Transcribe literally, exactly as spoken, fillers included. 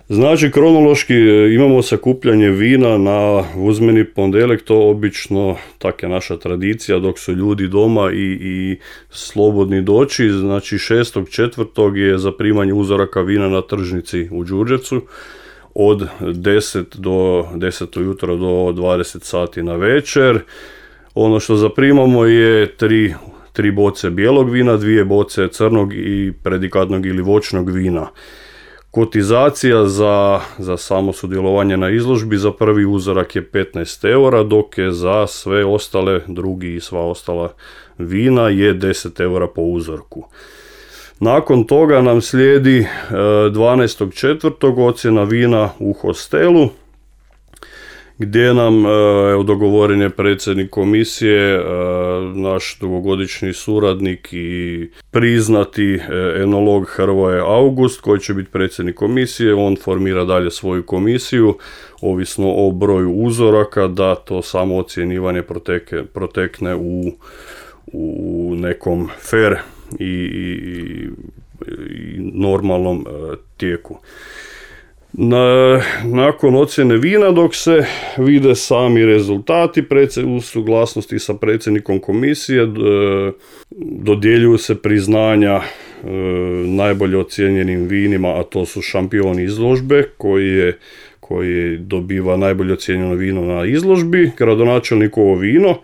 Znači, kronološki imamo sakupljanje vina na uzmeni ponedjeljak, to obično, tak je naša tradicija, dok su ljudi doma i, i slobodni doći. Znači, šestog četvrtog je zaprimanje uzoraka vina na tržnici u Đurđevcu od deset do deset ujutro do dvadeset sati na večer. Ono što zaprimamo je tri, tri boce bijelog vina, dvije boce crnog i predikatnog ili voćnog vina. Kotizacija za, za samo sudjelovanje na izložbi za prvi uzorak je petnaest eura, dok je za sve ostale, drugi i sva ostala vina je deset eura po uzorku. Nakon toga nam slijedi dvanaestog četvrtog ocjena vina u hostelu, gdje nam evo, dogovoren je predsjednik komisije, naš dugogodišnji suradnik i priznati enolog Hrvoje August, koji će biti predsjednik komisije. On formira dalje svoju komisiju, ovisno o broju uzoraka, da to samo ocjenjivanje proteke, protekne u, u nekom fair i, i, i normalnom tijeku. Na, nakon ocjene vina, dok se vide sami rezultati u suglasnosti sa predsjednikom komisije, dodjeljuju se priznanja e, najbolje ocijenjenim vinima, a to su šampioni izložbe koji je koji dobiva najbolje ocijenjeno vino na izložbi, gradonačelnikovo vino